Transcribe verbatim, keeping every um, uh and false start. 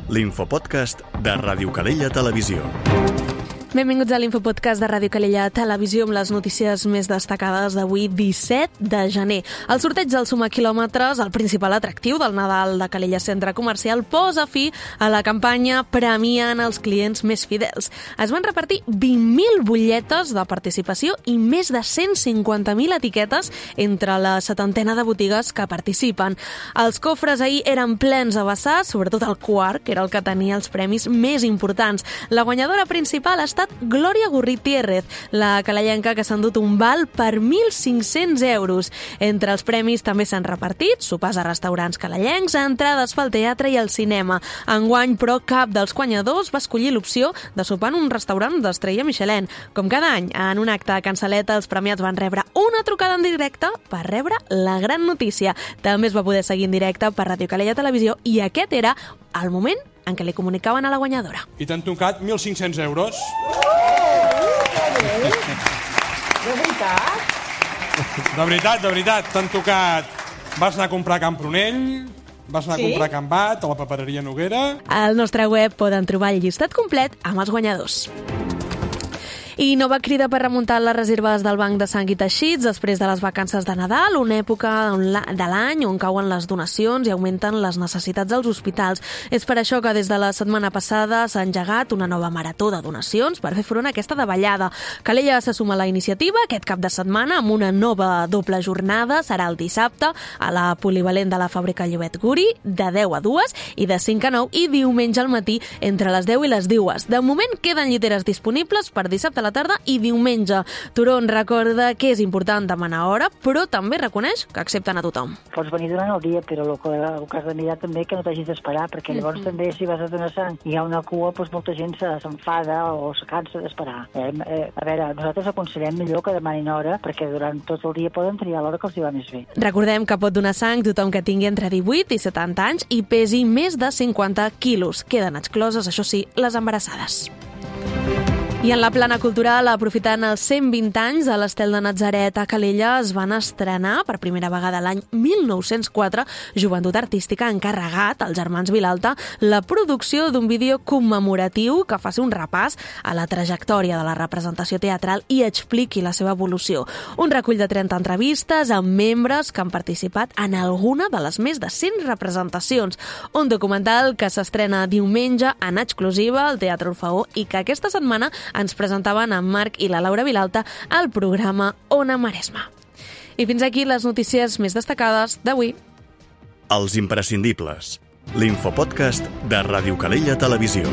l'infopodcast de Ràdio Calella Televisió. Benvinguts a l'Infopodcast de Ràdio Calella Televisió amb les notícies més destacades d'avui, disset de gener. El sorteig del Suma Quilòmetres, el principal atractiu del Nadal de Calella Centre Comercial, posa fi a la campanya premiant els clients més fidels. Es van repartir vint mil butlletes de participació i més de cent cinquanta mil etiquetes entre la setantena de botigues que participen. Els cofres ahir eren plens a vessar, sobretot el quart, que era el que tenia els premis més importants. La guanyadora principal ha estat Glòria Gurritiérrez, la calellenca que s'ha endut un val per mil cinc-cents euros. Entre els premis també s'han repartit sopars a restaurants calellencs, entrades pel teatre i al cinema. Enguany, però, cap dels guanyadors va escollir l'opció de sopar en un restaurant d'estrella Michelin. Com cada any, en un acte a Can Saleta, els premiats van rebre una trucada en directe per rebre la gran notícia. També es va poder seguir en directe per Ràdio Calella Televisió i aquest era el moment en què li comunicaven a la guanyadora. I t'han tocat mil cinc-cents euros. De veritat? De veritat, de veritat. T'han tocat... Vas anar a comprar a Can Prunell, vas anar a Sí? comprar a Can Bat, a la papereria Noguera... Al nostre web poden trobar el llistat complet amb els guanyadors. I nova crida per remuntar les reserves del Banc de Sang i Teixits després de les vacances de Nadal, una època de l'any on cauen les donacions i augmenten les necessitats dels hospitals. És per això que des de la setmana passada s'ha engegat una nova marató de donacions per fer front a aquesta davallada. Calella se suma a la iniciativa aquest cap de setmana amb una nova doble jornada. Serà el dissabte a la polivalent de la fàbrica Llobet Guri de deu a dues i de cinc a nou i diumenge al matí entre les deu i les dues. De moment queden lliteres disponibles per dissabte a la tarda i diumenge. Turon recorda que és important demanar hora, però també reconeix que accepten a tothom. Pots venir durant el dia, però el que, el que has de mirar també que no t'hagis d'esperar, perquè llavors mm-hmm. també si vas a donar sang i hi ha una cua, doncs molta gent s'enfada o se cansa d'esperar. Eh, eh, a veure, nosaltres aconsellem millor que demanin hora, perquè durant tot el dia poden triar l'hora que els hi va més bé. Recordem que pot donar sang tothom que tingui entre divuit i setanta anys i pesi més de cinquanta quilos. Queden excloses, això sí, les embarassades. I en la plana cultural, aprofitant els cent vint anys de l'Estel de Natzaret a Calella, es van estrenar per primera vegada l'any mil nou-cents quatre Joventut Artística ha encarregat als germans Vilalta la producció d'un vídeo commemoratiu que faci un repàs a la trajectòria de la representació teatral i expliqui la seva evolució. Un recull de trenta entrevistes amb membres que han participat en alguna de les més de cent representacions. Un documental que s'estrena diumenge en exclusiva al Teatre Orfeó i que aquesta setmana ens presentaven en Marc i la Laura Vilalta al programa Ona Maresma. I fins aquí les notícies més destacades d'avui. Els imprescindibles. L'infopodcast de Ràdio Calella Televisió.